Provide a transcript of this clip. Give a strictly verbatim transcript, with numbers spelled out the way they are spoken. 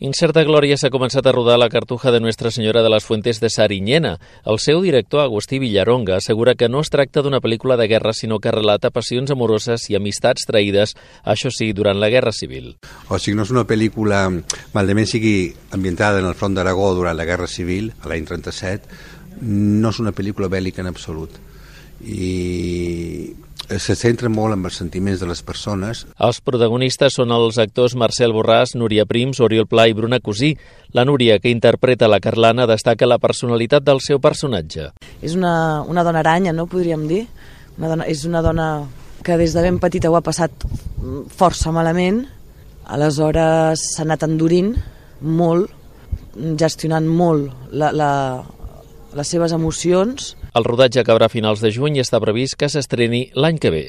Incerta Glòria s'ha començat a rodar la Cartuja de Nuestra Senyora de les Fuentes de Sariñena. El seu director, Agustí Villaronga, assegura que no es tracta d'una pel·lícula de guerra, sinó que relata passions amoroses i amistats traïdes, això sí, durant la Guerra Civil. O sigui, no és una pel·lícula, malament sigui ambientada en el front d'Aragó durant la Guerra Civil, a l'any trenta-set, no és una pel·lícula bèl·lica en absolut. I se centra molt en els sentiments de les persones. Els protagonistes són els actors Marcel Borràs, Núria Prims, Oriol Pla i Bruna Cosí. La Núria, que interpreta la Carlana, destaca la personalitat del seu personatge. És una, una dona aranya, no podríem dir? Una dona, és una dona que des de ben petita ho ha passat força malament, aleshores s'ha anat endurint molt, gestionant molt la, la, les seves emocions. El rodatge acabarà a finals de juny i està previst que s'estreni l'any que ve.